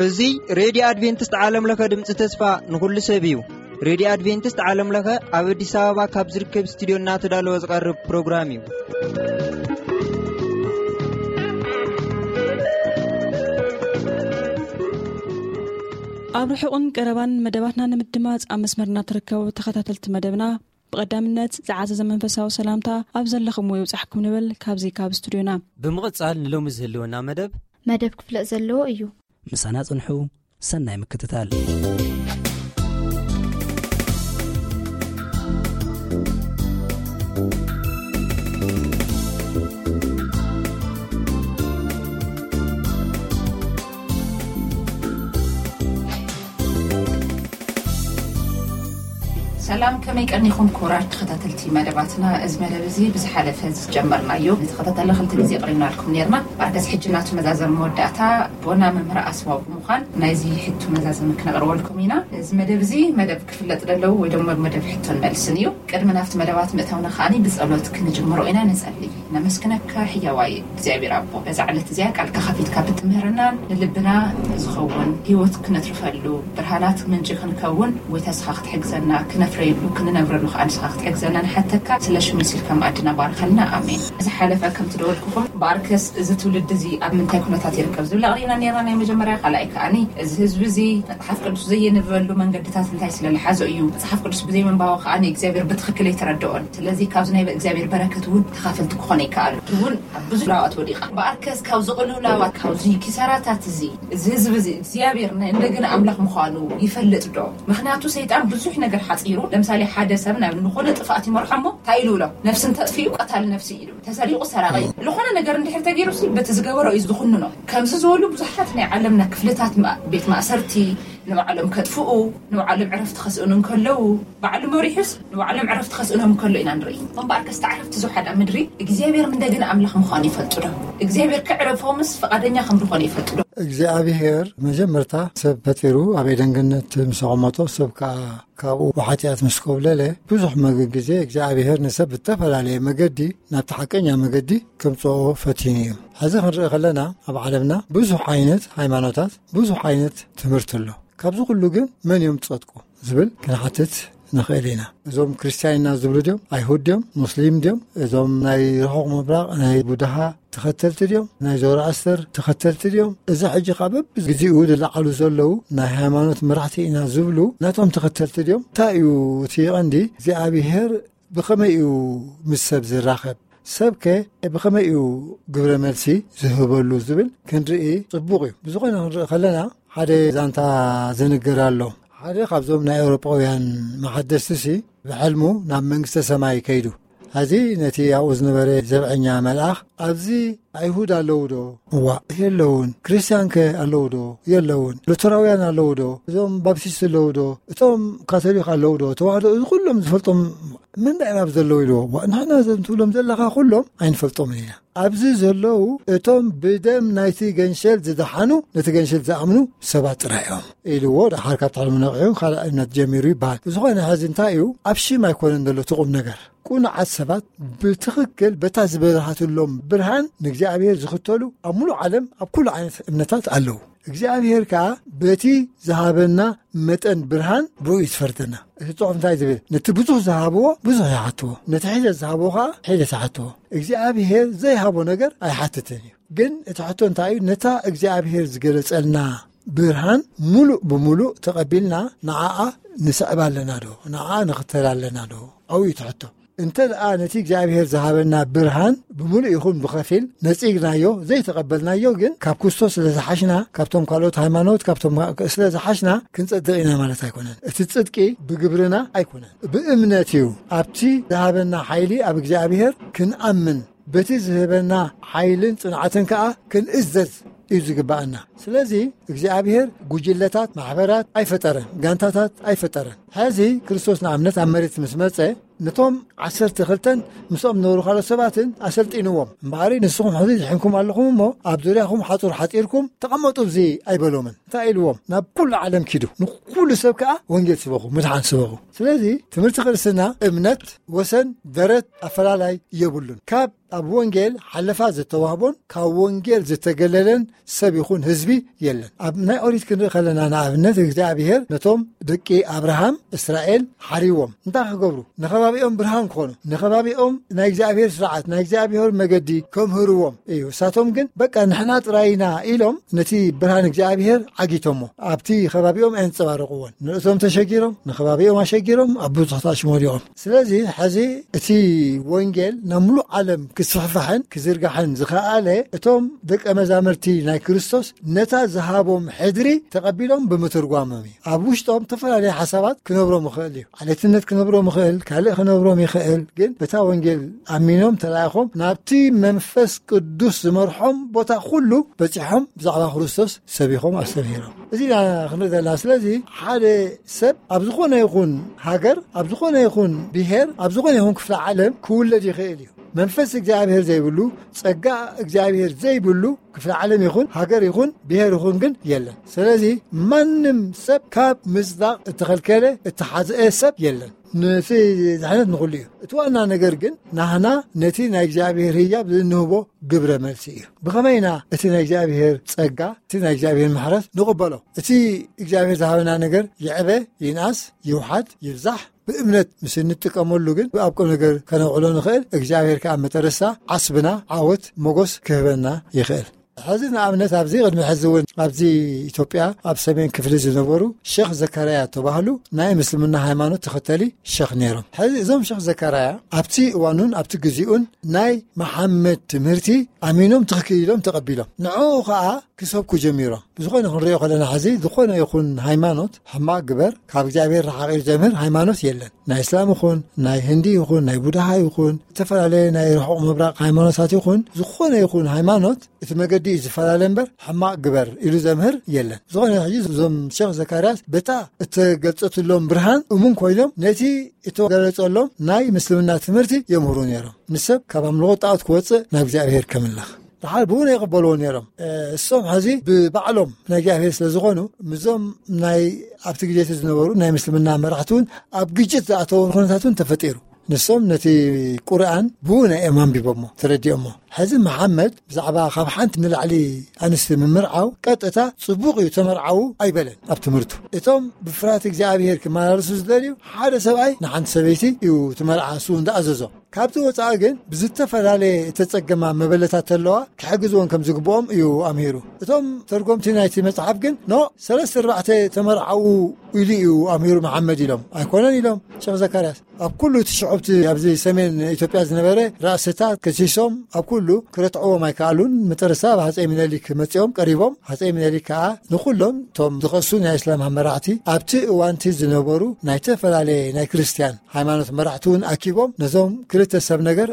እዚ ሬድዮ ኣድቬንቲስት ዓለም ለኸ ድምፂ ተስፋ ንኹሉ ሰብ እዩ። ሬድዮ ኣድቬንቲስት ዓለም ለኸ ኣብ ኣዲስ ኣበባ ካብ ዝርከብ ስቱዲዮ እናተዳለወ ዝቐርብ ፕሮግራም እዩ። ኣብ ርሑቕን ቀረባን መደባትና ንምድማፅ ኣብ መስመርና ትርከቡ ተኸታተልቲ መደብና፣ ብቐዳምነት ዝዓዘዘ መንፈሳዊ ሰላምታ ኣብ ዘለኹምዎ ይብጻሕኩም ንብል ካብዚ ካብ ስቱዲዮና። ብምቕጻል ንሎሚ ዝህልወና መደብ መደብ ክፍለጥ ዘለዎ እዩ። ምሳና ጽንሑ። ሰናይ ምክትታል። ሰላም፣ ከመይ ቀኒኹም ክቡራት ተኸታተልቲ መደባትና? እዚ መደብ እዚ ብዝሓለፈ ዝጀመርናዮ ንተኸታተለ ክልተ ግዜ ቅሪብናልኩም ነርና። ኣርከስ ሕጂ ናቱ መዛዘም መወዳእታ ቦና መምህር ኣስማው ብምዃን ናይዚ ሕቱ መዛዘም ክነቕርበልኩም ኢና። እዚ መደብ እዚ መደብ ክፍለጥ ደለዉ ወይ ደሞ መደብ ሕቶን መልስን እዩ። ቅድሚ ናብቲ መደባት ምእታውና ከዓኒ ብጸሎት ክንጅምሮ ኢና። ንጸሊ። ነመስግነካ ሕያዋይ እግዚኣብሔር ኣቦ፣ በዛ ዕለት እዚኣ ቃልካ ከፊትካ ብትምህርናን ንልብና ዝኸውን ህይወት ክነትርፈሉ ብርሃናት ምንጪ ክንከውን ወይ ተስኻ ክትሕግዘና ክነፍረየሉ ክንነብረሉ ከዓ ንስኻ ክትሕግዘና ንሓተካ። ስለ ሽሙ ሲልካ መኣድና ባርኸልና። ኣሜን። ዝሓለፈ ከም ትደወልኩኹም ብኣርከስ እዚ ትውልዲ እዚ ኣብ ምንታይ ኩነታት ይርከብ ዝብል ኣቕሪብና ነርና። ናይ መጀመርያ ካልኣይ ከዓኒ እዚ ህዝቢ እዚ መጽሓፍ ቅዱስ ዘየንበበሉ መንገድታት እንታይ ስለ ዝሓዞ እዩ? መጽሓፍ ቅዱስ ብዘይ ምንባቡ ከዓኒ እግዚኣብሔር ብትኽክል ኣይተረድኦን። ስለዚ ካብዚ ናይ እግዚኣብሔር በረከት እውን ተኻፈልቲ ክኾነ ይከኣሉ። እውን ኣብ ብዙሕ ላዋት ወዲቓ። ብኣርከስ ካብ ዝቕልውላዋት ካብዚ ኪሳራታት እዚ፣ እዚ ህዝቢ እዚ እግዚኣብሔር ናይ እንደገና ኣምላኽ ምዃኑ ይፈልጥ ዶ? ምኽንያቱ ሰይጣን ብዙሕ ነገር ሓፂሩ። ለምሳሌ ሓደ ሰብ ናብ ዝኾነ ጥፋኣት ይመርሖ እሞ እንታይ ኢሉ ብሎ? ነፍሲ እንተጥፊኡ ቀታል ነፍሲ ኢሉ። ተሰሪቑ ሰራቒ። ዝኾነ ነገር እንድሕር ተገይሩ ሲ በቲ ዝገበሮ እዩ ዝኹንኖ። ከምዚ ዝበሉ ብዙሓት ናይ ዓለምና ክፍልታት ማ-፣ ቤት ማእሰርቲ ንባዕሎም ከጥፍኡ፣ ንባዕሎም ዕረፍቲ ከስእኑ እንከለዉ፣ ባዕሉ መሪሑስ ንባዕሎም ዕረፍቲ ከስእኖም እንከሎ ኢና ንርኢ። እምበኣርከስ ተዓረፍቲ ዝውሓዳ ምድሪ እግዚኣብሔር እንደገና ኣምላኽ ምዃኑ ይፈልጡ ዶ? እግዚኣብሔር ክዕረፎምስ ፍቓደኛ ከም ዝኾነ ይፈልጡ ዶ? እግዚኣብሔር መጀመርታ ሰብ ፈጢሩ ኣብ ኤደን ገነት ምስ ኣቐመጦ፣ ሰብ ከኣ ካብኡ ብሓጢኣት ምስ ኮብለለ፣ ብዙሕ መግ-፣ ግዜ እግዚኣብሔር ንሰብ ብዝተፈላለየ መገዲ ናብቲ ሓቀኛ መገዲ ከምጽኦ ፈቲኑ እዩ። ሕዚ ክንርኢ ከለና ኣብ ዓለምና ብዙሕ ዓይነት ሃይማኖታት፣ ብዙሕ ዓይነት ትምህርቲ ኣሎ። ካብዚ ኩሉ ግን መን እዮም ዝጸድቁ ዝብል ክንሓትት ንኽእል ኢና። እዞም ክርስትያን ኢና ዝብሉ ድዮም? ኣይሁድ ድዮም? ሙስሊም ድዮም? እዞም ናይ ርሑቕ ምብራቕ፣ ናይ ቡድሃ ተኸተልቲ ድዮም? ናይ ዞራኣስተር ተኸተልቲ ድዮም? እዚ ሕጂ ካብ በብግዜኡ ዝለዓሉ ዘለዉ ናይ ሃይማኖት መራሕቲ ኢና ዝብሉ ናቶም ተኸተልቲ ድዮም? እንታይ እዩ እቲ ቀንዲ? እግዚኣብሔር ብኸመይ እዩ ምስ ሰብ ዝራኸብ? ሰብከ ብኸመይ እዩ ግብረ መልሲ ዝህበሉ ዝብል ክንርኢ ጽቡቕ እዩ። ብዝኾነ ክንርኢ ከለና ሓደ ዛንታ ዝንገር ኣሎ። ሓደ ካብዞም ናይ ኤውሮጳውያን መሓደስቲ ሲ ብሕልሙ ናብ መንግስተ ሰማይ ከይዱ። ሕዚ ነቲ ኣብኡ ዝነበረ ዘብዐኛ መልኣኽ፣ "ኣብዚ ኣይሁድ ኣለዉ ዶ?" "እዋእ፣ የለዉን። ክርስትያንከ ኣለዉ ዶ?" "የለዉን። ሉተራውያን ኣለዉ ዶ? እዞም ባፕቲስት ኣለዉ ዶ? እቶም ካቶሊክ ኣለዉ ዶ? ተዋህዶ?" እዚ ኩሎም ዝፈልጦም መን ዳኣ እዮም ኣብዚ ዘለዉ ኢልዎ። "እዋ፣ ንሕና እዞም ትብሎም ዘለኻ ኩሎም ኣይንፈልጦምን ኢና። ኣብዚ ዘለዉ እቶም ብደም ናይቲ ገንሸል ዝደሓኑ፣ ነቲ ገንሸል ዝኣምኑ ሰባት ጥራይ እዮም" ኢልዎ። ደሓር ካብቲ ሕልሙ ነቒሑ ካልእ እምነት ጀሚሩ ይበሃል። ብዝኾነ ሕዚ እንታይ እዩ፣ ኣብ ሽም ኣይኮነን ዘሎ እቲ ቁም ነገር። ቁኑዓት ሰባት ብትኽክል በታ ዝበርሃትሎም ብርሃን ንእግዚኣብሔር ዝኽተሉ ኣብ ሙሉእ ዓለም ኣብ ኩሉ ዓይነት እምነታት ኣለዉ። እግዚኣብሔር ከኣ በቲ ዝሃበና መጠን ብርሃን ብኡ እዩ ዝፈርደና። እቲ ጽሑፍ እንታይ ዝብል? "ነቲ ብዙሕ ዝሃብዎ ብዙሕ ይሓትዎ፣ ነቲ ሒደት ዝሃብዎ ከኣ ሒደት ይሓትዎ።" እግዚኣብሔር ዘይሃቦ ነገር ኣይሓትትን እዩ። ግን እቲ ሕቶ እንታይ እዩ? ነታ እግዚኣብሔር ዝገለጸልና ብርሃን ሙሉእ ብሙሉእ ተቐቢልና ንዓኣ ንስዕባ ኣለና ዶ? ንዓኣ ንኽተል ኣለና ዶ? ኣብኡ እዩ እቲ ሕቶ። እንተ ደኣ ነቲ እግዚኣብሔር ዝሃበና ብርሃን ብምሉእ ይኹን ብኸፊል ነጺግናዮ፣ ዘይተቐበልናዮ ግን፣ ካብ ክርስቶስ ስለ ዝሓሽና፣ ካብቶም ካልኦት ሃይማኖት፣ ካብቶም ስለ ዝሓሽና ክንጸድቕ ኢና ማለት ኣይኮነን። እቲ ጽድቂ ብግብርና ኣይኮነን፣ ብእምነት እዩ። ኣብቲ ዝሃበና ሓይሊ ኣብ እግዚኣብሔር ክንኣምን፣ በቲ ዝህበና ሓይልን ጽንዓትን ከኣ ክንእዘዝ እዩ ዝግብኣና። ስለዚ እግዚኣብሔር ጉጅለታት፣ ማሕበራት ኣይፈጠረን፣ ጋንታታት ኣይፈጠረን። ሕዚ ክርስቶስ ንኣብነት ኣብ መሬት ምስ መጸ፣ ነቶም ዓሰርተ ክልተን ምስኦም ዝነበሩ ካልኦት ሰባትን ኣሰልጢንዎም። እምበኣሪ ንስኹም ሕዚ ዝሕንኩም ኣለኹም እሞ ኣብ ዙርያኹም ሓጹር ሓጺርኩም ተቐመጡ፣ እዚ ኣይበሎምን። እንታይ ኢልዎም? ናብ ኩሉ ዓለም ኪዱ፣ ንኩሉ ሰብ ከኣ ወንጌል ስበኹ፣ ምድሓን ስበኹ። ስለዚ ትምህርቲ ክርስትና እምነት ወሰን ደረት ኣፈላላይ የብሉን። ካብ ኣብ ወንጌል ሓለፋ ዝተዋህቦን ካብ ወንጌል ዝተገለለን ሰብ ይኹን ህዝቢ የለን። ኣብ ናይ ኦሪት ክንርኢ ከለና፣ ንኣብነት እግዚኣብሔር ነቶም ደቂ ኣብርሃም እስራኤል ሓሪዎም እንታይ ክገብሩ? ንኸባቢኦም ብርሃን ክኾኑ፣ ንኸባቢኦም ናይ እግዚኣብሔር ስርዓት፣ ናይ እግዚኣብሔር መገዲ ከምህርዎም እዩ። እሳቶም ግን በቃ ንሕና ጥራይና ኢሎም ነቲ ብርሃን እግዚኣብሔር ዓጊቶሞ። ኣብቲ ከባቢኦም ኣየንጸባረቕዎን። ንርእሶም ተሸጊሮም፣ ንኸባቢኦም ኣሸጊሮም፣ ኣብ ብዙሕ ተኣሽሞሪቖም። ስለዚ ሕዚ እቲ ወንጌል ናብ ሙሉእ ዓለም ክስፍሕፋሕን ክዝርጋሕን ዝኸኣለ እቶም ደቀ መዛምርቲ ናይ ክርስቶስ ነታ ዝሃቦም ሕድሪ ተቐቢሎም ብምትርጓሞም እዩ። ኣብ ውሽጦም ዝተፈላለዩ ሓሳባት ክነብሮም ይኽእል እዩ። ዓሌትነት ክነብሮም ይኽእል፣ ካልእ ክነብሮም ይኽእል። ግን በታ ወንጌል ኣሚኖም ተላኢኾም ናብቲ መንፈስ ቅዱስ ዝመርሖም ቦታ ኩሉ በጺሖም ብዛዕባ ክርስቶስ ሰቢኾም ኣስተምሂሮም። እዚ ኢና ክንርኢ ዘለና። ስለዚ ሓደ ሰብ ኣብ ዝኾነ ይኹን ሃገር፣ ኣብ ዝኾነ ይኹን ብሔር፣ ኣብ ዝኾነ ይኹን ክፍለ ዓለም ክውለድ ይኽእል እዩ። መንፈስ እግዚኣብሔር ዘይብሉ፣ ጸጋ እግዚኣብሔር ዘይብሉ ክፍለ ዓለም ይኹን ሃገር ይኹን ብሔር ይኹን ግን የለን። ስለዚ ማንም ሰብ ካብ ምጽዳቕ እተኸልከለ፣ እተሓዝአ ሰብ የለን። ነቲ ድሕነት ንኹሉ እዩ። እቲ ዋና ነገር ግን ናህና ነቲ ናይ እግዚኣብሔር ህያብ ዝንህቦ ግብረ መልሲ እዩ። ብኸመይ ኢና እቲ ናይ እግዚኣብሔር ጸጋ፣ እቲ ናይ እግዚኣብሔር ምሕረት ንቕበሎ? እቲ እግዚኣብሔር ዝሃበና ነገር ይዕበ፣ ይንኣስ፣ ይውሓድ፣ ይብዛሕ፣ ብእምነት ምስ እንጥቀመሉ ግን ኣብ ቁም ነገር ከነውዕሎ ንኽእል። እግዚኣብሔር ከኣ መጠረሳ ዓስብና ዓወት ሞጎስ ክህበና ይኽእል። ሕዚ ንኣብነት ኣብዚ ቅድሚ ሕዚ እውን ኣብዚ ኢትዮጵያ ኣብ ሰሜን ክፍሊ ዝነበሩ ሸኽ ዘካርያ ተባህሉ ናይ ምስልምና ሃይማኖት ተኸተሊ ሸኽ ነይሮም። ሕዚ እዞም ሸኽ ዘካርያ ኣብቲ እዋኑን ኣብቲ ግዚኡን ናይ መሓመድ ትምህርቲ ኣሚኖም ትኽክል ኢሎም ተቐቢሎም ንዕኡ ኸኣ ክሰብኩ ጀሚሮም። ብዝኾነ ክንሪኦ ከለና ሕዚ ዝኾነ ይኹን ሃይማኖት ሕማቕ ግበር ካብ እግዚኣብሔር ረሓቕ ኢሉ ዘምህር ሃይማኖት የለን። ናይ እስላም ይኹን ናይ ህንዲ ይኹን ናይ ቡድሃ ይኹን ዝተፈላለየ ናይ ርሑቕ ምብራቕ ሃይማኖታት ይኹን ዝኾነ ይኹን ሃይማኖት እቲ መገዲ እዩ ዝፈላለ እምበር ሕማቕ ግበር ኢሉ ዘምህር የለን። ዝኾነ ሕጂ እዞም ሸኽ ዘካርያስ በታ እተገልጸትሎም ብርሃን እሙን ኮይኖም ነቲ እተገለጸሎም ናይ ምስልምና ትምህርቲ የምህሩ ነይሮም። ንሰብ ካብ ኣምልኾ ጣዖት ክወጽእ ናብ እግዚኣብሔር ከምለኽ ደሓር ብእውነ ይቕበልዎ ነይሮም። እሶም ሕዚ ብባዕሎም ናይ እግዚኣብሔር ስለ ዝኾኑ ምዞም ናይ ኣብቲ ግዜ ዝነበሩ ናይ ምስልምና መራሕቲ እውን ኣብ ግጭት ዝኣተወ ኩነታት እውን ተፈጢሩ። ንሶም ነቲ ቁርኣን ብእውነ እዮም ኣንቢቦሞ ተረዲኦሞ። ሕዚ መሓመድ ብዛዕባ ካብ ሓንቲ ንላዕሊ ኣንስቲ ምምርዓው ቀጥታ ጽቡቕ እዩ ተመርዓዉ ኣይበለን። ኣብ ትምህርቱ እቶም ብፍርሃት እግዚኣብሔር ክመላለሱ ዝደልዩ ሓደ ሰብኣይ ንሓንቲ ሰበይቲ እዩ ትመርዓ እሱ እንዳኣዘዞ። ካብቲ ወፃኢ ግን ብዝተፈላለየ እተጸገማ መበለታት ተለዋ ክሕግዝዎን ከም ዝግብኦም እዩ ኣምሂሩ። እቶም ተርጎምቲ ናይቲ መጽሓፍ ግን ኖ ሰለስተ ኣርባዕተ ተመርዓዉ ኢሉ እዩ ኣምሂሩ መሓመድ ኢሎም ኣይኮነን ኢሎም ሸኽ ዘካርያስ። ኣብ ኩሉ እቲ ሽዑብቲ ኣብዚ ሰሜን ኢትዮጵያ ዝነበረ ራእስታት ከሲሶም ኣብ ኩሉ ክረትዕዎም ኣይከኣሉን። መጠረስታ ኣብ ሃፀይ ሚነሊክ መፂኦም ቀሪቦም። ሃፀይ ሚነሊክ ከዓ ንኩሎም እቶም ዝኸሱ ናይ እስላም መራሕቲ ኣብቲ እዋንቲ ዝነበሩ ናይ ተፈላለየ ናይ ክርስትያን ሃይማኖት መራሕቲ እውን ኣኪቦም ነዞም ክልተ ሰብ ነገር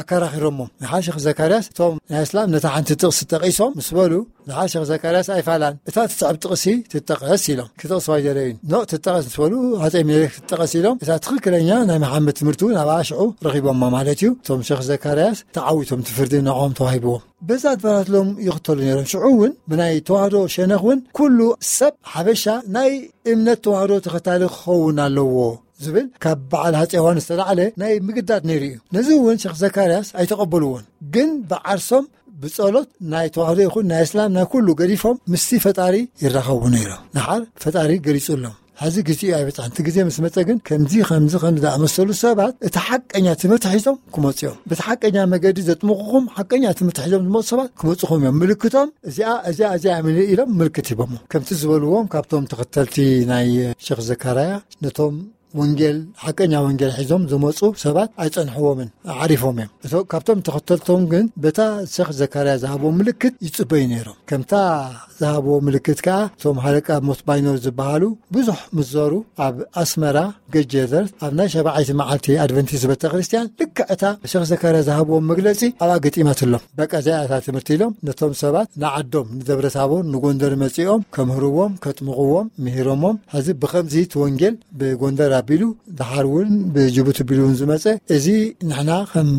ኣከራኺሮሞም። ንሓሸኽ ዘካርያስ እቶም ናይ እስላም ነታ ሓንቲ ጥቕሲ ጠቒሶም ምስ በሉ ንሓሸኽ ዘካርያስ ኣይፋላን እታ ትስዕብ ጥቕሲ ትጠቐስ ኢሎም ክጠቕስዋ ኣይደለዩን። ኖ ትጠቐስ ምስ በሉ ሃፀይ ሚኒሊክ ትጠቐስ ኢሎም እታ ትኽክለኛ ናይ መሓመድ ትምህርቲ እውን ኣብ ኣሽዑ ረኺቦማ ማለት እዩ። እቶም ሸኽ ዘካርያስ ተዓዊቶም ትፍርዲ ንዕኦም ተዋሂብዎም። በዛ ኣድባራት ሎም ይኽተሉ ነይሮም። ሽዑ እውን ብናይ ተዋህዶ ሸነኽ እውን ኩሉ ሰብ ሓበሻ ናይ እምነት ተዋህዶ ተኸታሊ ክኸውን ኣለዎ ዝብል ካብ በዓል ሃፀ ዮሃንስ ዝተላዕለ ናይ ምግዳድ ነይሩ እዩ። ነዚ እውን ሸኽ ዘካርያስ ኣይተቐበልዎን። ግን ብዓርሶም ብጸሎት ናይ ተዋህዶ ይኹን ናይ እስላም ናይ ኩሉ ገዲፎም ምስቲ ፈጣሪ ይራኸቡ ነይሮም። ንሓር ፈጣሪ ገሊጹሎም። ሕዚ ግዜኡ ኣይበጽሐን። እቲ ግዜ ምስ መጸ ግን ከምዚ ከምዚ ከምዚ ዝኣመሰሉ ሰባት እቲ ሓቀኛ ትምህርቲ ሒዞም ክመጹ እዮም። በቲ ሓቀኛ መገዲ ዘጥምቑኹም ሓቀኛ ትምህርቲ ሒዞም ዝመጹ ሰባት ክመጹኹም እዮም። ምልክቶም እዚኣ እዚኣ እዚኣ እያ ኢሎም ምልክት ሂቦሞ። ከምቲ ዝበልዎም ካብቶም ተኸተልቲ ናይ ሸኽ ዘካርያ ነቶም ወንጌል ሓቀኛ ወንጌል ሒዞም ዝመፁ ሰባት ኣይፀንሕዎምን ዓሪፎም እዮም። እቶ ካብቶም ተኸተልቶም ግን በታ ሸኽ ዘካርያ ዝሃቦ ምልክት ይፅበዩ ነይሮም። ከምታ ዝሃቦ ምልክት ከዓ እቶም ሃለቃ ሞት ባይኖር ዝበሃሉ ብዙሕ ምስ ዞሩ ኣብ ኣስመራ ገጀዘር ኣብ ናይ ሸባዓይቲ መዓልቲ ኣድቨንቲስት ቤተ ክርስቲያን ልክዕ እታ ሸኽ ዘካርያ ዝሃብዎም መግለፂ ኣብኣ ገጢማትሎም። በቃ እዚኣ እታ ትምህርቲ ኢሎም ነቶም ሰባት ንዓዶም ንደብረ ታቦር ንጎንደር መፂኦም ከምህርዎም ከጥምቕዎም ምሂሮሞም። ሕዚ ብኸምዚ እቲ ወንጌል ብጎንደር ቢሉ፣ ድሓር እውን ብጅቡቲ ቢሉ እውን ዝመጸ፣ እዚ ንሕና ከም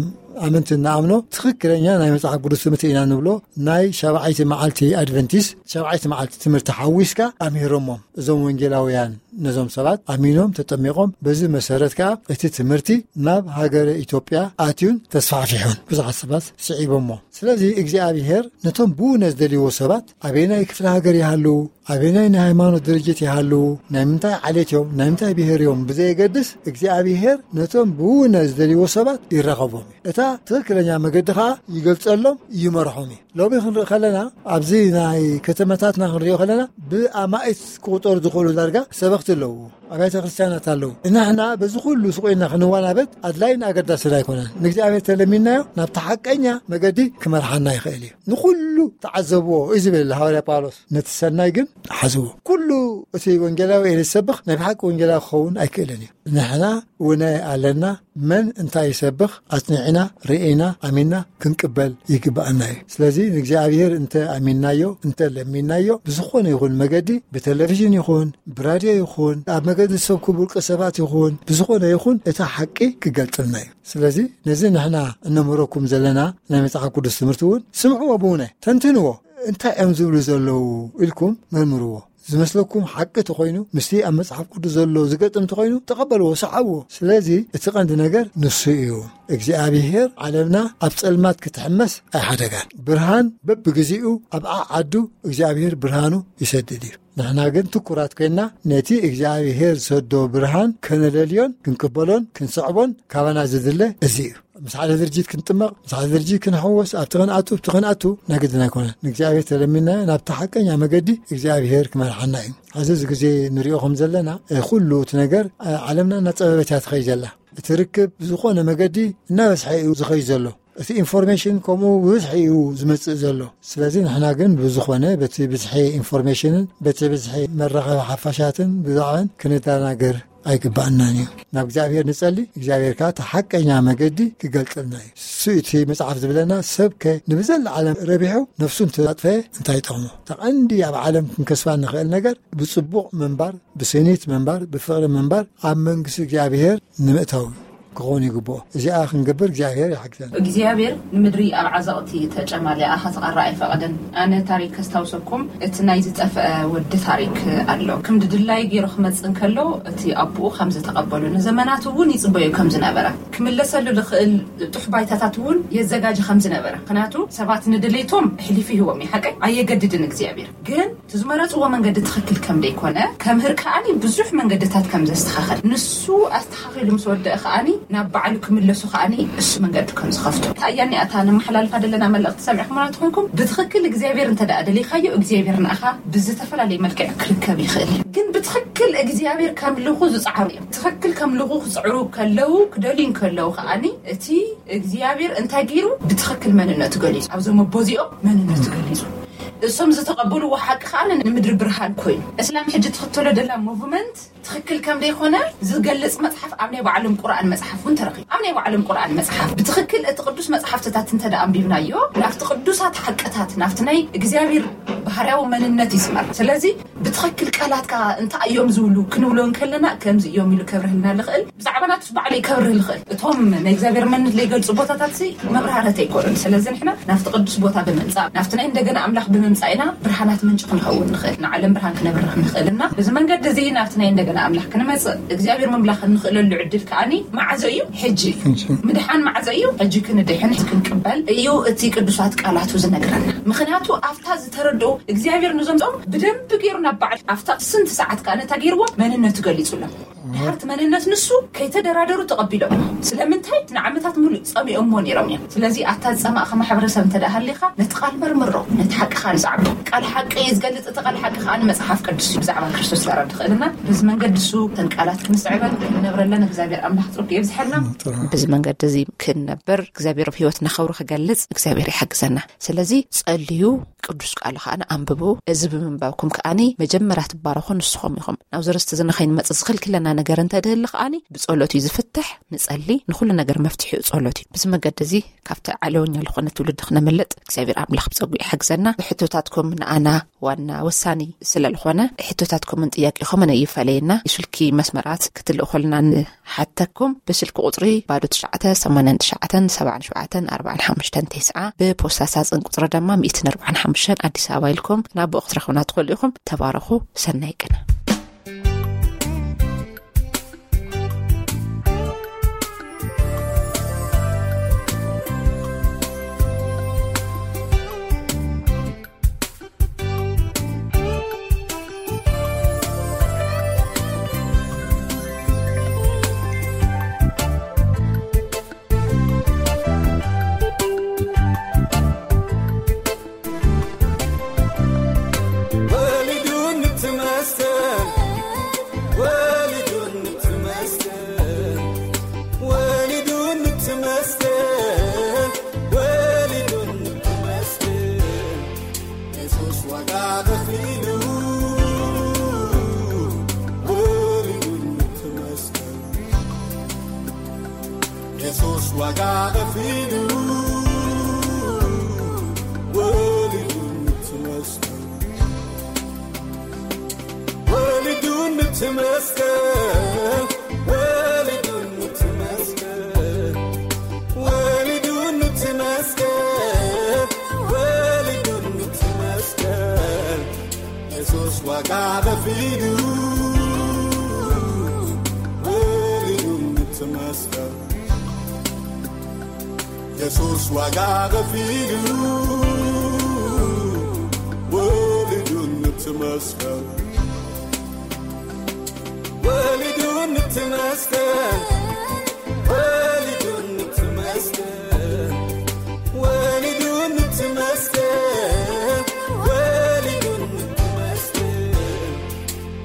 ኣመንቲ እንኣምኖ ትኽክለኛ ናይ መጽሓፍ ቅዱስ ትምህርቲ ኢና ንብሎ። ናይ ሻብዓይቲ መዓልቲ ኣድቨንቲስት፣ ሻብዓይቲ መዓልቲ ትምህርቲ ሓዊስካ ኣምሂሮሞም። እዞም ወንጌላውያን ነዞም ሰባት ኣሚኖም ተጠሚቖም፣ በዚ መሰረት ከኣ እቲ ትምህርቲ ናብ ሃገረ ኢትዮጵያ ኣትዩን ተስፋሕፊሑን ብዙሓት ሰባት ስዒቦሞ። ስለዚ እግዚኣብሔር ነቶም ብእውነት ዝደልይዎ ሰባት ኣበየናይ ክፍለ ሃገር ይሃሉ፣ ኣበየናይ ናይ ሃይማኖት ድርጅት ይሃሉ፣ ናይ ምንታይ ዓሌት እዮም፣ ናይ ምንታይ ብሄር እዮም ብዘየገድስ እግዚኣብሔር ነቶም ብእውነት ዝደልይዎ ሰባት ይራኸቦም እዩ። እታ ትኽክለኛ መገዲ ኸዓ ይገልጸሎም፣ ይመርሖም እዩ። ሎሚ ክንርኢ ከለና ኣብዚ ናይ ከተማታትና ክንሪኦ ከለና ብኣማኢት ክቑጠሩ ዝኽእሉ ዳርጋ ሰበኽቲ ኣለዉ፣ ኣብያተ ክርስቲያናት ኣለዉ። ንሕና በዚ ኩሉ ስቑኢና ክንዋናበት ኣድላይን ኣገዳስን ኣይኮነን። ንእግዚኣብሔር ተለሚንናዮ ናብቲ ሓቀኛ መገዲ ክመርሓና ይኽእል እዩ። ንኹሉ ተዓዘብዎ እዩ ዝብል ሃዋርያ ጳውሎስ። ነቲ ሰናይ ግን ሓዝዎ። ኩሉ እቲ ወንጌላዊ እየ ዝሰብኽ ናይ ብሓቂ ወንጌላዊ ክኸውን ኣይክእልን እዩ። ንሕና እውነ ኣለና። መን እንታይ ይሰብኽ ኣጽኒዕና፣ ርኢና፣ ኣሚንና ክንቅበል ይግብኣና እዩ። ስለዚ ንእግዚኣብሔር እንተ ኣሚንናዮ፣ እንተ ለሚንናዮ፣ ብዝኾነ ይኹን መገዲ፣ ብቴሌቪዥን ይኹን፣ ብራድዮ ይኹን፣ ኣብ መገዲ ሰብ ክቡር ሰባት ይኹን፣ ብዝኾነ ይኹን፣ እታ ሓቂ ክገልጽልና እዩ። ስለዚ ነዚ ንሕና እነምህረኩም ዘለና ናይ መጽሓፍ ቅዱስ ትምህርቲ እውን ስምዕዎ፣ ብእውነ ተንትንዎ። እንታይ እዮም ዝብሉ ዘለዉ ኢልኩም መርምርዎ። ዝመስለኩም ሓቂ ተኾይኑ፣ ምስቲ ኣብ መጽሓፍ ቅዱስ ዘሎ ዝገጥም ተኾይኑ፣ ተቐበልዎ፣ ሰዓብዎ። ስለዚ እቲ ቀንዲ ነገር ንሱ እዩ። እግዚኣብሔር ዓለምና ኣብ ጸልማት ክትሕመስ ኣይሓደጋን። ብርሃን በብግዜኡ ኣብ ዓዓዱ እግዚኣብሔር ብርሃኑ ይሰድድ እዩ። ንሕና ግን ትኩራት ኮይንና ነቲ እግዚኣብሔር ዝሰዶ ብርሃን ከነለልዮን ክንቅበሎን ክንሰዕቦን ካባና ዝድለ እዚ እዩ። ምስ ሓደ ድርጅት ክንጥመቕ፣ ምስ ሓደ ድርጅት ክንሕወስ፣ ኣብቲ ክንኣቱ፣ ኣብቲ ክንኣቱ ናይ ግድን ኣይኮነን። ንእግዚኣብሔር ተለሚንናዮ ናብቲ ሓቀኛ መገዲ እግዚኣብሔር ክመርሓና እዩ። ኣብዚ እዚ ግዜ ንሪኦ ከም ዘለና፣ እ፣ ኩሉ እቲ ነገር፣ እ፣ ዓለምና እናጸበበት እያ ትኸይድ ዘላ። እቲ ርክብ ብዝኾነ መገዲ እናበዝሐ እዩ ዝኸይድ ዘሎ። እቲ ኢንፎርሜሽን ከምኡ ብብዝሒ እዩ ዝመጽእ ዘሎ። ስለዚ ንሕና ግን ብዝኾነ በቲ ብዝሒ ኢንፎርሜሽንን በቲ ብዝሒ መራኸቢ ሓፋሻትን ብዛዕባን ክንደናገር ኣይግባኣናን እዩ። ናብ እግዚኣብሔር ንጸሊ፣ እግዚኣብሔር ከኣ እቲ ሓቀኛ መገዲ ክገልጸልና እዩ። እሱ እቲ መጽሓፍ ዝብለና፣ ሰብከ ንብዘላ ዓለም ረቢሑ ነፍሱ እንተኣጥፈየ እንታይ ይጠቕሞ? እቲ ቀንዲ ኣብ ዓለም ክንከስባ ንኽእል ነገር ብጽቡቕ ምንባር፣ ብስኒት ምንባር፣ ብፍቕሪ ምንባር፣ ኣብ መንግስቲ እግዚኣብሔር ንምእታው ክኸውን ይግብኦ። እዚኣ ክንገብር እግዚኣብሔር ይሓግዘና። እግዚኣብሔር ንምድሪ ኣብ ዓዘቕቲ ተጨማሊኣ ክትቐረ ኣይፈቐደን። ኣነ ታሪክ ከስታውሰኩም፣ እቲ ናይ ዝጠፍአ ወዲ ታሪክ ኣሎ። ከም ድድላይ ገይሩ ክመጽእ እንከሎ፣ እቲ ኣቦኡ ከም ዝተቐበሎ፣ ንዘመናት እውን ይጽበዮ ከም ዝነበረ፣ ክምለሰሉ ዝኽእል ጥሕ ባይታታት እውን የዘጋጀ ከም ዝነበረ። ምኽንያቱ ሰባት ንድሌቶም ኣሕሊፉ ይህቦም እዩ። ሓቀይ ኣየገድድን እግዚኣብሔር። ግን እቲ ዝመረጽዎ መንገዲ ትኽክል ከም ደይኮነ ከምህር ከኣኒ ብዙሕ መንገድታት ከም ዘስተኻኸል፣ ንሱ ኣስተኻኺሉ ምስ ወደአ ከኣኒ ናብ ባዕሉ ክምለሱ ከኣኒ እሱ መንገዲ ከም ዝኸፍቶ። ኣያኒ ኣታ ነመሓላልፋ ደለና መልእኽቲ ሰሚዕኹምና ትኾንኩም፣ ብትኽክል እግዚኣብሔር እንተ ደኣ ደሊኻዮ፣ እግዚኣብሔር ንኣኻ ብዝተፈላለየ መልክዕ ክርከብ ይኽእል። ግን ብትኽክል እግዚኣብሔር ከምልኹ ዝጸዓሩ እዮም። ትኽክል ከምልኹ ክጽዕሩ ከለዉ፣ ክደልዩ ከለዉ ከኣኒ እቲ እግዚኣብሔር እንታይ ገይሩ? ብትኽክል መንነቱ ገሊጹ። ኣብዞም ኣቦዚኦም መንነቱ ገሊጹ። እሶም ዝተቐበልዎ ሓቂ ከኣ ንምድሪ ብርሃን ኮይኑ። እስላም ሕጂ ትኽተሎ ደላ ሙቭመንት ትኽክል ከም ደይኮነ ዝገልጽ መጽሓፍ ኣብ ናይ ባዕሎም ቁርኣን መጽሓፍ እውን ተረኺቡ። ኣብ ናይ ባዕሎም ቁርኣን መጽሓፍ ብትኽክል እቲ ቅዱስ መጽሓፍትታት እንተ ደኣ ኣንቢብናዮ፣ ናብቲ ቅዱሳት ሓቅታት፣ ናብቲ ናይ እግዚኣብሔር ባህርያዊ መንነት ይስመር። ስለዚ ብትኽክል ቃላትካ እንታይ እዮም ዝብሉ ክንብሎ እንከለና፣ ከምዚ እዮም ኢሉ ከብርህልና ዝኽእል፣ ብዛዕባ ናቱስ ባዕሉ ይከብርህ ዝኽእል። እቶም ናይ እግዚኣብሔር መንነት ዘይገልጹ ቦታታት ሲ መብራህረት ኣይኮኑን። ስለዚ ንሕና ናብቲ ቅዱስ ቦታ ብምምጻእ፣ ናብቲ ናይ እንደገና ኣምላኽ ብምምጻእ ኢና ብርሃናት ምንጪ ክንኸውን ንኽእል፣ ንዓለም ብርሃን ክነብርህ ንኽእል። እና በዚ መንገዲ እዚ ናብቲ ናይ እንደገና ኣምላኽ ክንመጽእ፣ እግዚኣብሔር ምምላኽ እንኽእለሉ ዕድል ከኣኒ መዓዘ እዩ? ሕጂ እዩ። ሕጂ። ምድሓን መዓዘ እዩ? ሕጂ ክንድሕን፣ ሕጂ ክንቅበል እዩ እቲ ቅዱሳት ቃላቱ ዝነግረና። ምኽንያቱ ኣብታ ዝተረድኦ እግዚኣብሔር ንዞም ጾም ብደንብ ገይሩ ናብ ባዕል ኣብታ ስንት ሰዓት ከኣ ነታ ገይርዎ መንነቱ ገሊጹሎም። ድሓርቲ መንነት ንሱ ከይተደራደሩ ተቐቢሎም። ስለምንታይ? ንዓመታት ሙሉእ ጸሚኦሞ ነይሮም እዮም። ስለዚ ኣታ ዝጸማእኻ ማሕበረሰብ እንተ ደኣ ሃሊኻ፣ ነቲ ቃል መርምሮ፣ ነቲ ሓቂ ከኣ ንጽዓቦ። ቃል ሓቂ እዩ ዝገልጽ፣ እቲ ቃል ሓቂ ከኣ ንመጽሓፍ ቅዱስ እዩ ብዛዕባ ክርስቶስ ዘረድ ዝኽእልና። በዚ መንገዲ እሱ እተን ቃላት ክንስዕበን ክንነብረለን እግዚኣብሔር ኣምላኽ ጽጉ የብዝሐልና። ጥሩ። በዚ መንገዲ እዚ ክንነብር እግዚኣብሔር ኣብ ህይወትና ኸብሩ ክገልጽ እግዚኣብሔር ይሓግዘና። ስለዚ ጸልዩ፣ ቅዱስ ቃሉ ከኣ ኣንብቡ። እዚ ብምንባብኩም ከኣኒ መጀመርያ ትባረኹ ንስኹም ኢኹም። ናብ ዘረስቲ እዚ ንኸይንመጽእ ዝኽልክለና ነገር እንተ ድህሊ ከኣኒ ብጸሎት እዩ ዝፍትሕ። ንጸሊ፣ ንኹሉ ነገር መፍትሒኡ ጸሎት እዩ። በዚ መገዲ እዚ ካብቲ ዓለወኛ ዝኾነ ትውልዲ ክነምልጥ እግዚኣብሔር ኣምላኽ ብጸጉ ይሓግዘና። ብሕቶ ሕቶታትኩም ንኣና ዋና ወሳኒ ስለ ዝኾነ፣ ሕቶታትኩምን ጥያቄኹምን ኣይፈለየና። ስልኪ መስመራት ክትልእኹልና ንሓተኩም። ብስልኪ ቁጽሪ ባዶ ትሽዓተ ሰማንያን ትሽዓተን ሰብዓን ሸውዓተን ኣርባዓን ሓሙሽተን ተስዓ፣ ብፖስታ ሳጽን ቁጽሪ ድማ ሚእትን ኣርባዓን ሓሙሽተን ኣዲስ ኣበባ ኢልኩም ናብኡ ክትረኽቡና ትኽእሉ ኢኹም። ተባረኹ። ሰናይ ቅነ። ወሊዱኒ እቲ መስቀል፣ ወሊዱኒ እቲ መስቀል፣ ወሊዱኒ እቲ መስቀል፣ ወሊዱኒ እቲ መስቀል፣ የሱስ ዋጋ ከፊሉ፣ ወሊዱኒ እቲ መስቀል። የሱስ ዋጋ ከፊሉ፣ ወሊዱኒ እቲ መስቀል፣ ወሊዱኒ እቲ መስቀል፣ ወሊዱኒ እቲ መስቀል፣ ወሊዱኒ እቲ መስቀል፣ ወሊዱኒ እቲ መስቀል። የሱስ ዋጋ ከፊሉ፣ ወሊዱኒ እቲ መስቀል። የሱስ ዋጋ ከፊሉ፣ ወሊዱኒ እቲ መስቀል። ወሊዱኒ እቲ መስቀል፣ ወሊዱኒ እቲ መስቀል፣ ወሊዱኒ እቲ መስቀል፣ ወሊዱኒ እቲ መስቀል።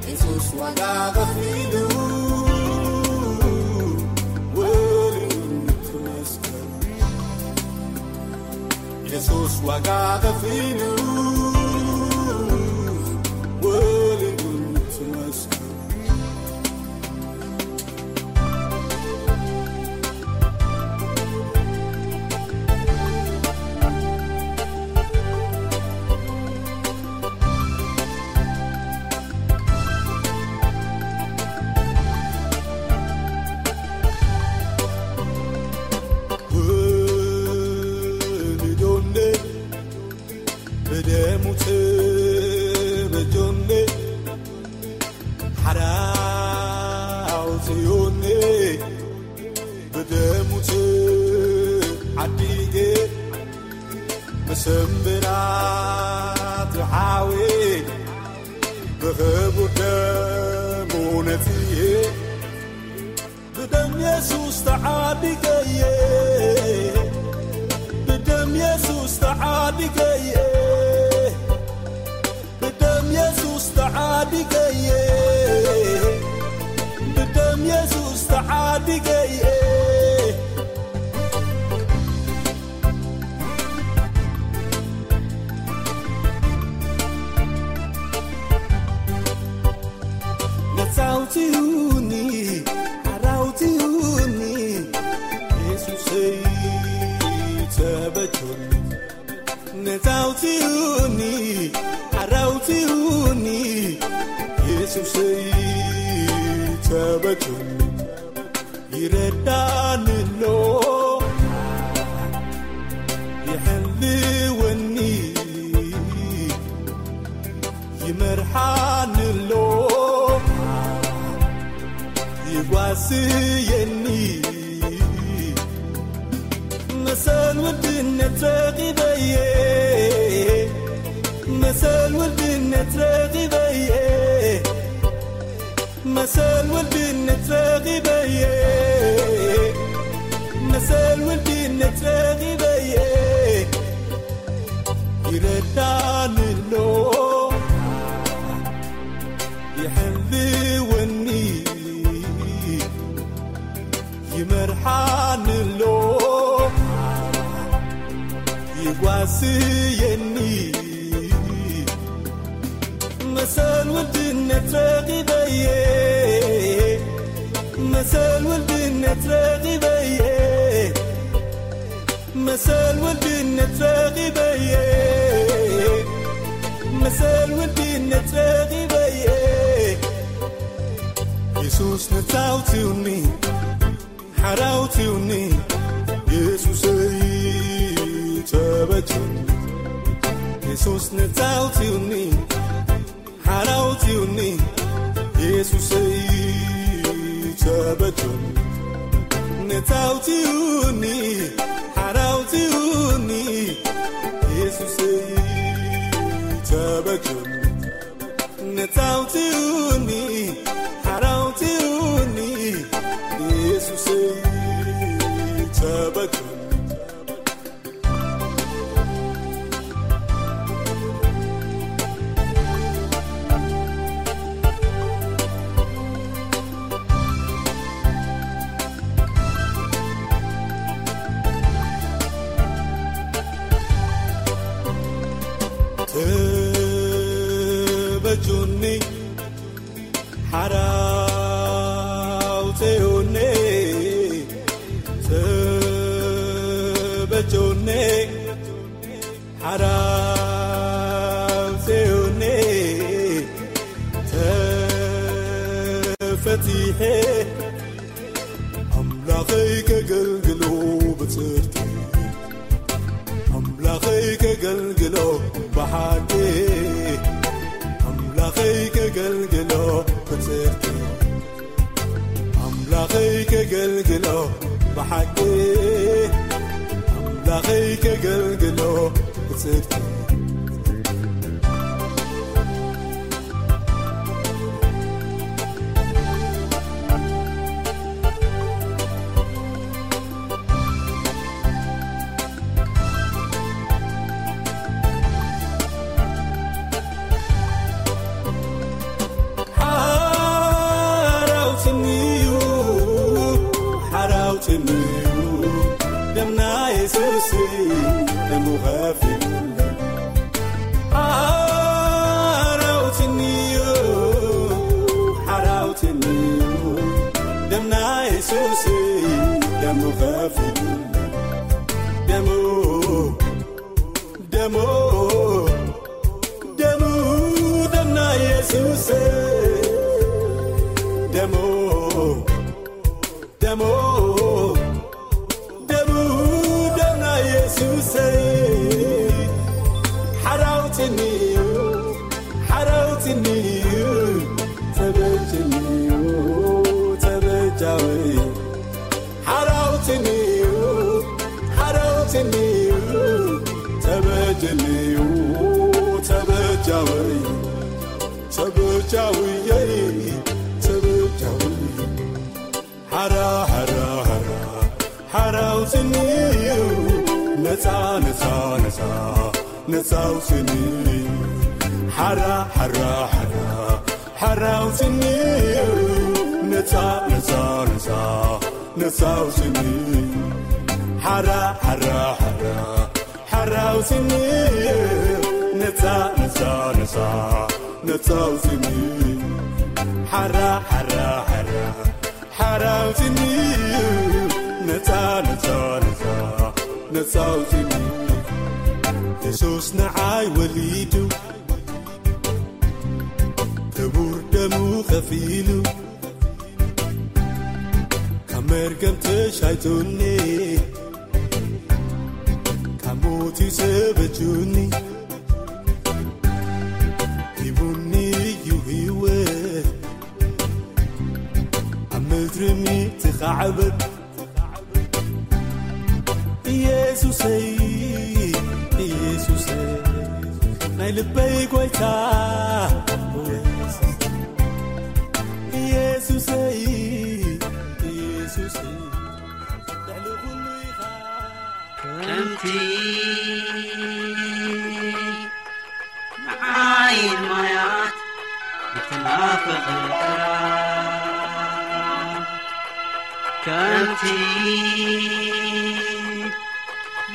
የሱስ ዋጋ ከፊሉ፣ ወሊዱኒ እቲ መስቀል። የሱስ ዋጋ ከፊሉ፣ ወሊዱኒ እቲ መስቀል። ወሊዱኒ ብደሙ ተበጆኒ፣ ሓራ ኣውፅዩኒ፣ ብደሙ ተዓዲገ፣ ብስምብራት ሓዊ ብኽቡር ደሙ ነፅየ። ብደም የሱስ ተዓዲገየ፣ ብደም የሱስ ተዓዲገየ፣ ብደም የሱስ ተዓዲገየ፣ ብደም የሱስ ተዓዲገየ። ነፃ ኣውፅኡኒ፣ ሓራ ኣውፅኡኒ፣ የሱሰይ ተበጆኒ። ነፃ ኣውፅኡኒ፣ ሓራ ኣውፅኡኒ፣ የሱሰይ ተበጆኒ። ይረዳኒ ኣሎ፣ ይሕልወኒ፣ ይመርሓኒ ኣሎ፣ ይጓስየኒ። መሰል ውድነት ረኺበየ፣ መሰል ውድነት ረኺበየ፣ መሰል ውድነት ረኺበየ፣ መሰል ውድነት ረኺበየ። ይረዳኒ ኣሎ፣ ይሕልወኒ፣ ይመርሓኒ ኣሎ፣ ይጓስየኒ። መሰል ውድነት ረኺበየ፣ መሰል ውድነት ረኺበየ፣ መሰል ውድነት ረኺበየ፣ መሰል ውልድነት ጸጊበየ። የሱስ ነጻ ኣውጺኡኒ፣ ሓራ ኣውጺኡኒ፣ የሱሰይ ተበጀኒ። የሱስ ነጻ ኣውጺኡኒ፣ ሓራ ኣውጺኡኒ፣ የሱሰይ ተበጀኒ። ነጻ ኣውጺኡኒ፣ ሓራ ኣውጺኡኒ፣ የሱሰይ ተበጀኒ። ነጻ ኣውጺኡኒ፣ ሓራ ኣውጺኡኒ፣ የሱሰይ ተበጀኒ። ተበጁኒ፣ ሓራ ኣውጺኡኒ፣ ተበጁኒ፣ ሓራ ኣውጺኡኒ፣ ተፈቲሐ ኣምላኸይ ከገልግሎ ብጽድቂ፣ ኣምላኸይ ከገልግሎ ብሓቂ፣ ኣምላኸይ ከገልግሎ ብጽድቂ፣ ኣምላኸይ ከገልግሎ ብሓቂ፣ ኣምላኸይ ከገልግሎ ብጽድቂ። ሓራውትንዩ፣ ሓራውትንዩ፣ ደምና የሱስ ደሙ ኸፊሉ። ሓራውትንዩ፣ ሓራውትንዩ፣ ደምና የሱስ ደሙ ኸፊሉ። ደሙ፣ ደሙ፣ ደሙ፣ ደምና የሱስ ደሙ፣ ደሙ፣ ደሙ፣ ደምና የሱስ ሓራውትንዩ፣ ሓራውትንዩ፣ ተበጅንዩ፣ ተበጃዊ። ሓራውትንዩ፣ ሓራውትንዩ፣ ተበጀንዩ፣ ተበጃዊ፣ ተበጃውየይ፣ ተበጃዊ። ሓራ፣ ሓራ፣ ሓራ፣ ሓራውትንዩ፣ ነጻ፣ ነጻ፣ ነጻ፣ ነጻውትንዩ። ሓራ፣ ሓራ፣ ሓራ፣ ሓራውትንዩ፣ ነጻ፣ ነጻ፣ ነጻ፣ ነጻውትንዩ። ሓራ፣ ሓራ፣ ሓራ፣ ሓራውትንዩ፣ ነጻ፣ ነጻ፣ ነጻ፣ ነጻውትንዩ። ሓራ፣ ሓራ፣ ሓራ፣ ሓራውትንዩ፣ ነጻ፣ ነጻ፣ ነጻ፣ ነጻውትንዩ። የሱስ ንዓይ ወሊዱ፣ ክቡር ደሙ ኸፊሉ፣ ካብ መርገም ተሻይቱኒ፣ ካብ ሞት እዩ ሰበጁኒ። ሂቡኒ እዩ ህይወት፣ ኣብ ምድሪ ምትኻዕበት። ኢየሱሰይ፣ ኢየሱሰይ፣ ናይ ልበይ ጎይታ። ኢየሱሰይ፣ ኢየሱሰይ፣ ልዕሊ ኩሉ ኢኻ። ከምቲ ንዓይን ማያት እትናፍቕ፣ ከምቲ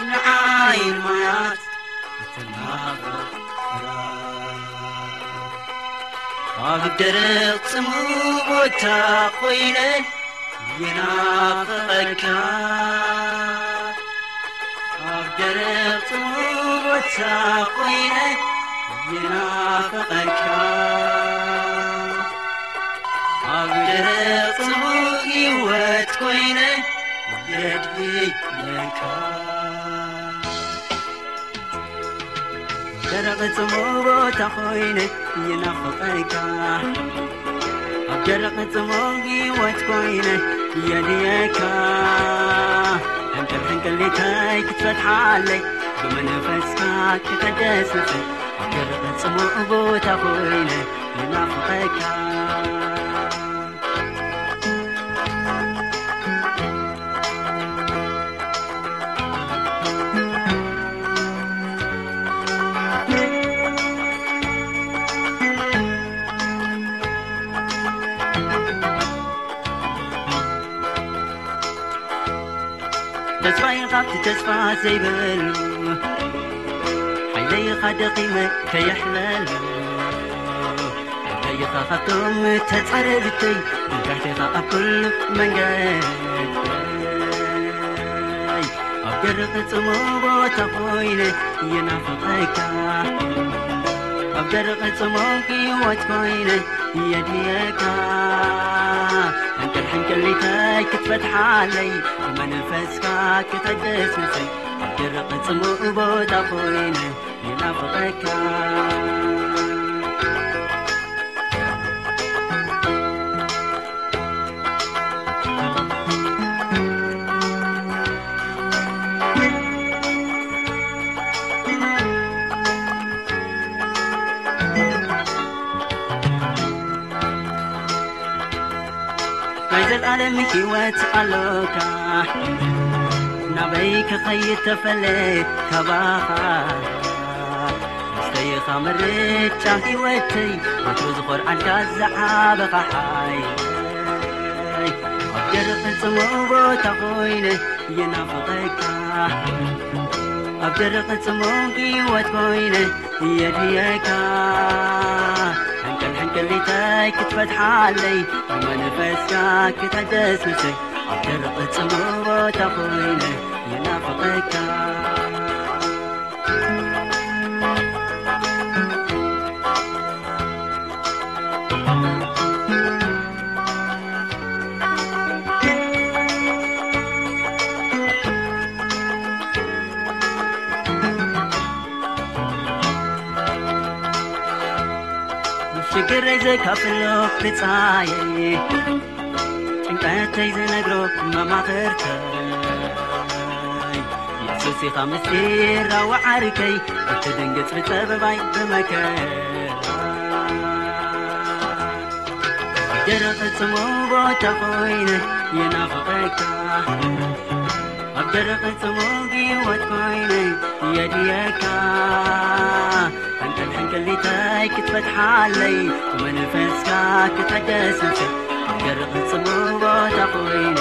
ንዓይን ማያት እትናፍቕ፣ ኣብ ደረቕ ጽሙእ ቦታ ኮይነ ይናፍቐካ፣ ኣብ ደረቕ ጽሙእ ቦታ ኮይነ ይናፍቐካ ኣብ ደረቕ ጽሙእ ህይወት ኮይነ የድህየካ። ደረቕ ጽሙእ ቦታ ኮይነ ይናፍቐካ። ኣብ ደረቕ ጽሙእ ህይወት ኮይነ የድየካ። ሕንቅል ሕንቅሊተይ ክትፈትሓለይ ብመንፈስካ ክሕደስ ነፍሰይ። ኣብ ደረቕ ጽሙእ ቦታ ኮይነ ይናፍቐካ። ተስፋይ ካብቲ ተስፋ ዘይብሉ ሓይለይኻ ደኺመ ከየሕለሉ ሓይለይኻ ካብቶም ተጻረርተይ ብጋሕቴኻ ኣብ ኩሉ መንገድ ኣብ ደረቕ ጽሙእ ቦታ ኮይነ ይናፍቐካ። ኣብ ደረቕ ጽሙእ ህይወት ኮይነ የድልየካ። ሕንቅል ሕንቅሊተይ ክትፈትሓለይ ብመንፈስካ ክተደስሰይ ኣብ ደረቕ ጽሙእ ቦታ ኮይነ ይናፍቐካ። ናይ ዘልኣለም ህይወት ኣሎካ ናበይ ክኸይድ ተፈለ ካባኻ ምስተይኻ ምርጫ ህይወተይ ወትሩ ዝኾርዓልካ ዝዓበኻ ሓይ ኣብ ደረቕ ጽሙእ ቦታ ኮይነ ይናፍቐካ ኣብ ደረቕ ጽሙእ ህይወት ኮይነ የድልየካ ሕንቅል ሕንቅሊተይ ክትፈትሓለይ ብመንፈስካ ክተደስሰይ ኣብ ደረቕ ጽሙእ ቦታ ኮይነ ይናፍቐካ። ሽግረይ ዘካፍሎ ብጻየይ ጭንቀተይ ዝነግሮ መማኽርተይ የሱስ ኢኻ ምስጢር ኣወዓርከይ እትድንግጽ ብጸበባይ ብመከራ ደረቕ ጽሙእ ቦታ ኮይነ ይናፍቐካ ኣብ ደረቕ ጽሙእ ህይወት ኮይነ የድልየካ ሕንቅል ሕንቅሊተይ ክትፈትሓለይ ብመንፈስካ ክተደስሰይ ኣብ ደረቕ ጽሙእ ቦታ ኮይነ